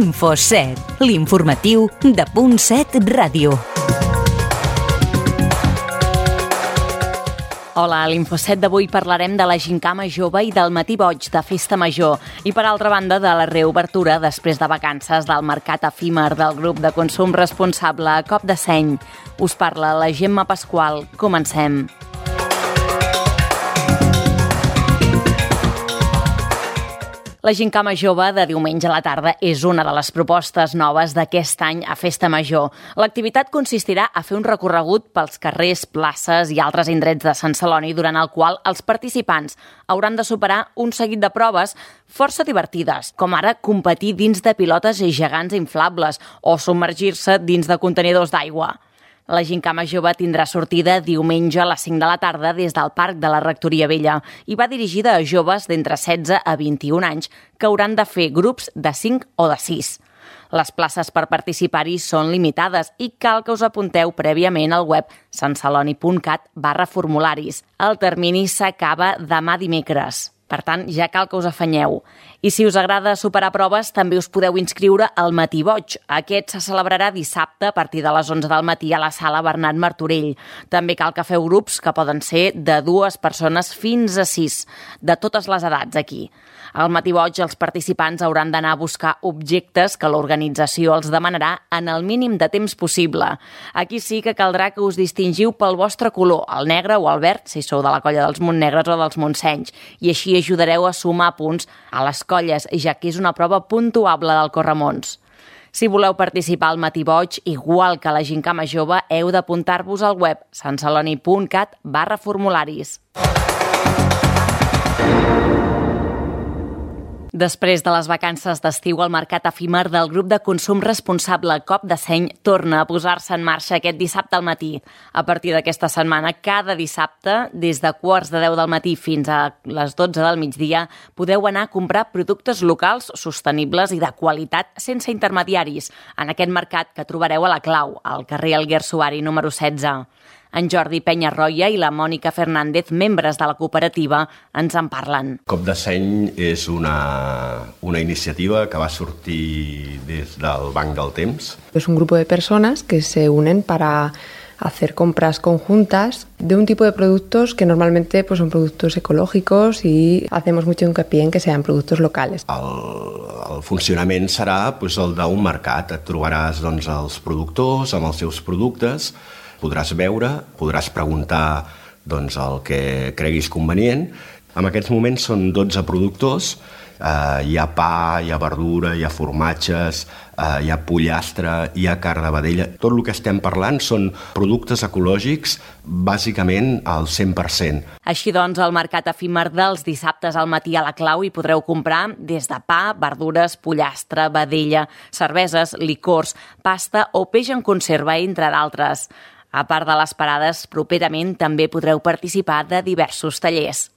Info7, l'informatiu de Punt 7 Ràdio. Hola, a l'Info7 d'avui parlarem de la Gincama Jove i del Matí Boig de Festa Major i, per altra banda, de la reobertura després de vacances del mercat efímer del grup de consum responsable Cop de Seny. Us parla la Gemma Pasqual. Comencem. La Gincama Jove de diumenge a la tarda és una de les propostes noves d'aquest any a Festa Major. L'activitat consistirà a fer un recorregut pels carrers, places i altres indrets de Sant Celoni, durant el qual els participants hauran de superar un seguit de proves força divertides, com ara competir dins de pilotes gegants inflables o submergir-se dins de contenidors d'aigua. La Gincama Jove tindrà sortida diumenge a les 5 de la tarda des del Parc de la Rectoria Vella i va dirigida a joves d'entre 16 a 21 anys que hauran de fer grups de 5 o de 6. Les places per participar-hi són limitades i cal que us apunteu prèviament al web santceloni.cat/formularis. El termini s'acaba demà dimecres. Per tant, ja cal que us afanyeu. I si us agrada superar proves, també us podeu inscriure al Matí Boig. Aquest se celebrarà dissabte a partir de les 11 del matí a la sala Bernat Martorell. També cal que feu grups que poden ser de 2 persones fins a 6, de totes les edats aquí. Al Matí Boig els participants hauran d'anar a buscar objectes que l'organització els demanarà en el mínim de temps possible. Aquí sí que caldrà que us distingiu pel vostre color, el negre o el verd, si sou de la colla dels Montnegres o dels Montsenys, i així ajudareu a sumar punts a les colles, ja que és una prova puntuable del Corremons. Si voleu participar al Matí Boig, igual que a la Gincama Jove, heu d'apuntar-vos al web santceloni.cat/formularis. Després de les vacances d'estiu, el mercat efímer del grup de consum responsable Cop de Seny torna a posar-se en marxa aquest dissabte al matí. A partir d'aquesta setmana, cada dissabte, des de 9:45 del matí fins a les 12 del migdia, podeu anar a comprar productes locals, sostenibles i de qualitat sense intermediaris, en aquest mercat que trobareu a la Clau, al carrer Alguer Suari número 16. En Jordi Penyarroia i la Mònica Fernández, membres de la cooperativa, ens en parlen. Cop de Seny és una iniciativa que va sortir des del Banc del Temps. Es un grupo de personas que se unen para hacer compras conjuntas de un tipo de productos que normalmente son productos ecológicos y hacemos mucho hincapié en que sean productos locales. El funcionament serà el d'un mercat. Et trobaràs els productors amb els seus productes, podràs veure, podràs preguntar el que creguis convenient. En aquests moments són 12 productors, hi ha pa, hi ha verdura, hi ha formatges, hi ha pollastre, hi ha carn de vedella. Tot el que estem parlant són productes ecològics, bàsicament al 100%. Així doncs, al mercat efímer dels dissabtes al matí a la Clau hi podreu comprar des de pa, verdures, pollastre, vedella, cerveses, licors, pasta o peix en conserva, entre d'altres. A part de les parades, properament també podreu participar de diversos tallers.